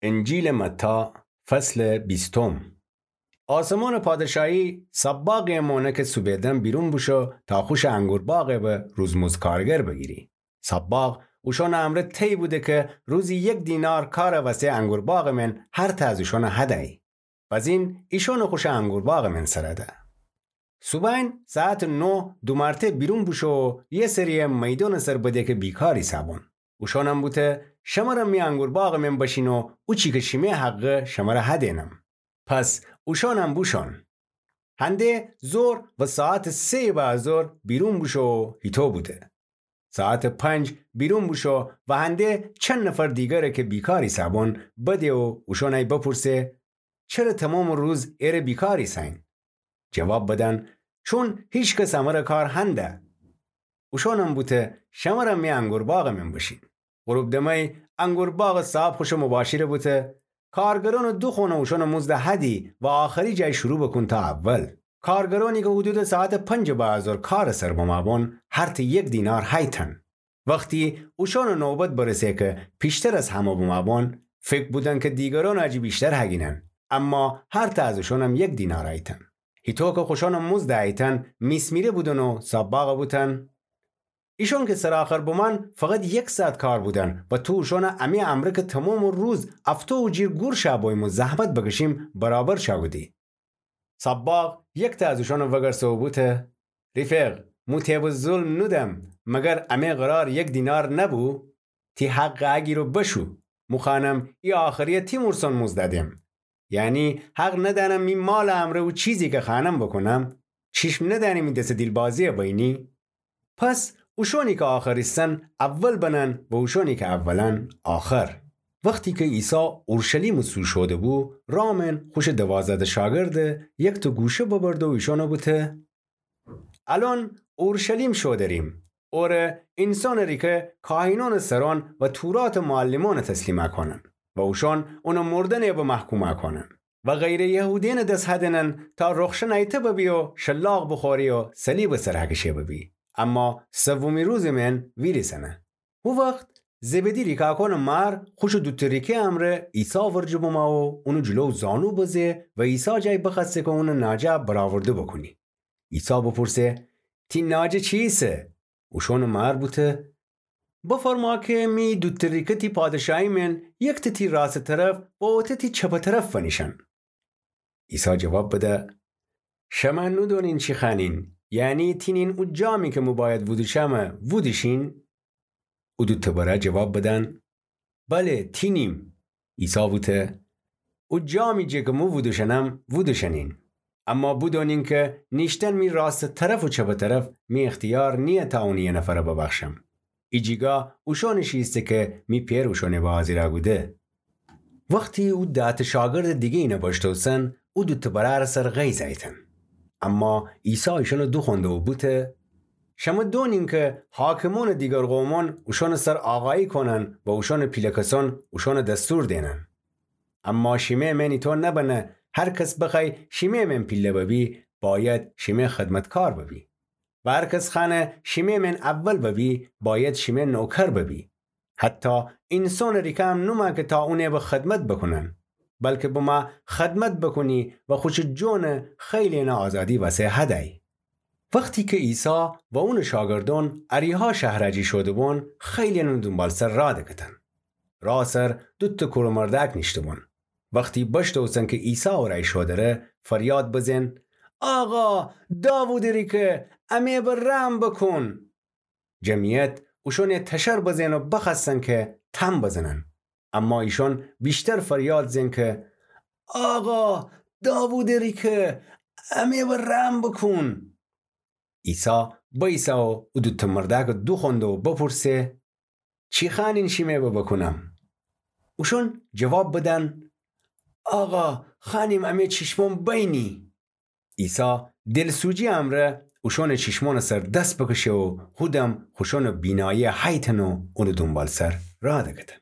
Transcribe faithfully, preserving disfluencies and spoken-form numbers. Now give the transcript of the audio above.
انجیلٚ متی، فصلٚ بیستم. آسمانٚ پادشاهی صباغی مانه کی صوبٚ دم بیرون بوشو تا خوشٚ انگورباغ به روزمزد کارگر بگیری. صباغ اوشانٚ امرأ تأیی بوده کی روزی یک دینار کارٚ وسه انگورباغٚ من هر تأ از اوشان هدیی. بزین ایشان خوشٚ انگورباغٚ من سر ده. صوبأن ساعتٚ نه دو مرته بیرون بوشو و یه سریی میدانٚ سر بده کی بیکار ایسه‌بون. اوشانم بوته: شمر می انگورباغٚ من بشین و اوچی کی شیمه حقه شمر هدینم. پس اوشانم بوشون. هنده ظهر و ساعتٚ سه‌یٚ بعدٚ ظهر بیرون بوشو و هیتو بوده. ساعتٚ پنج بیرون بوشو و هنده چند نفر دیگره کی بیکار ایسه‌بون بده و اوشانه‌ی بپورسه: چره تمامٚ روز اره بیکار ایسه‌یین؟ جواب بدن: چون هیکس امر کار هنده. اوشانم بوته: شمرم می انگورباغٚ من بشین. غروب دمه‌ی انگورباغٚ صاحب خوشٚ مباشره بوته: کارگرانٚ دوخوانه اوشانٚ مزد هدی و آخری جای شروع بوکون تا اول. کارگرانی کی حدودٚ ساعتٚ پنجٚ بعدٚ ظهر کارٚ سر بمه‌بون، هر ته یک دینار هیتن. وختی اوشانٚ نوبت برسه کی پیشتر از همه بمه‌بون، فکر بودن کی دیگرانٚ جی بیشتر هگینن، اما هر ته از اوشانم یک دینار هیتن. هیتو کی خوشانٚ مزد هیتن میسمیره بودن و صباغ بوتن: ایشان کی سرٚ آخر بومأن، فقط یک ساعت کار بودن و تو اوشانٚ امی امرأ کی تمامٚ روز افتو و جیر گور شأ بوییم و زحمت بکشیم، برابر شأ کودی. صباغ یک ته از اوشان وگرسه و بوته: ریفق، مو تیبٚ ظلم نودم، مگر امی قرار یک دینار نبو؟ تی حقه اگیر و بشو. مو خوأنم ای آخریی تی مورسان مزد دم. یعنی حق ندأنم می مالٚ امرأ او چیزی کی خوأنم بوکونم؟ چیشم ندأنی می دس دیلبازیی بینی؟ پس اوشانی کی آخر ایسن اول بنن و اوشانی کی اولن آخر. وختی کی عیسی اورشلیمٚ سو شوده‌بو، رامن خوشٚ دوازده شاگرده یک ته گوشه ببرده و ایشان بوته: الأن اورشلیم شودریم، اوره اینسانٚ ریکه کاهینأنٚ سرأن و توراتٚ معلمأن تسلیم کونن و اوشأن اون مردن به محکوم کونن و غیرٚ یهودیأنٚ دس هدینن تا رخشن ایته ببی و شلاق بوخوری و صلیبٚ سر هکشه ببی، اما سومی روزٚ من ویریسنه. هو وخت زبدی ریکأکأنٚ مار خوشٚ دوته ریکه امرأ عیسی ورجه بومه و اونٚ جلو زانو بزه و عیسی جای بخوأسته کی اونٚ ناجه برآورده بوکونی. عیسی بوپورسه: تی ناجه چیسه؟ اوشانٚ مار بوته: بفرما کی می دوته ریکه تی پادشاهی من یک ته تی راستٚ طرف و اوته تی چپٚ طرف فنیشن. عیسی جواب بده: شمه نودونین چی خوأنین، یعنی تینین او جامی کی مو بأید وودوشمه وودوشین؟ او دوته برأر جواب بدن: بله، تینیم. عیسی بوته: او جامی جه کی مو وودوشنم وودوشنین. اما بودونین کی نیشتن می راستٚ طرف و چپٚ طرف می اختیار نییه تا اونٚ یه نفر ببخشم. ایجیگاه اوشأنٚ شی ایسه کی می پئر اوشأنٚ به حاضیر کوده. وختی او ده‌ته شاگردٚ دیگه اینه بشتوسن، او دوته برأرٚ سر غیظ ایتن. اما عیسی ایشأنٚ دوخوأنده و بوته: شمه دونین کی حاکمأنٚ دیگر قومأن اوشأنٚ سر آقایی کونن و اوشأنٚ پیله کسأن اوشأنٚ دستور دینن. اما شیمه من ایطو نبنه، هر کس بخوأی شیمه من پیله ببی، بأید شیمه خدمتکار ببی. و هر کس خوأنه شیمه من اول ببی، بأید شیمه نوکر ببی. حتی اینسانٚ ریکه هم نومه کی تا اونٚ به خدمت بوکونن، بلکی بمه خدمت بوکونی و خوشٚ جونٚ خیلی‌یأنٚ آزادی وسه هدیی. وختی کی عیسی و اونٚ شاگردأن اریحا شهرٚ جی شوده‌بون، خیلی‌یأن اونٚ دونبالسر راه دکتن. راه سر دوته کورٚ مردأک نیشته‌بون. وختی بشتوسن کی عیسی اورأی شودره، فریاد بزن: آقا، داوودٚ ریکه، امی به رحم بوکون! جمعیت اوشأنٚ تشر بزن و بخوأستن کی تن بزنن. اما ایشأن ویشتر فریاد زن کی: آقا، داوودٚ ریکه، امی به رحم بوکون! عیسی بأیسه و او دوته مردأکٚ دوخوأنده و بپورسه: چی خوأنین شیمه به بوکونم؟ اوشأن جواب بدن: آقا، خوأنیم امی چیشمأن بینی. عیسی دلسوجی امرأ اوشأنٚ چیشمأنٚ سر دس بکشه و هودم خوشأنٚ بینایی هیتن و اونٚ دونبالسر راه دکتن.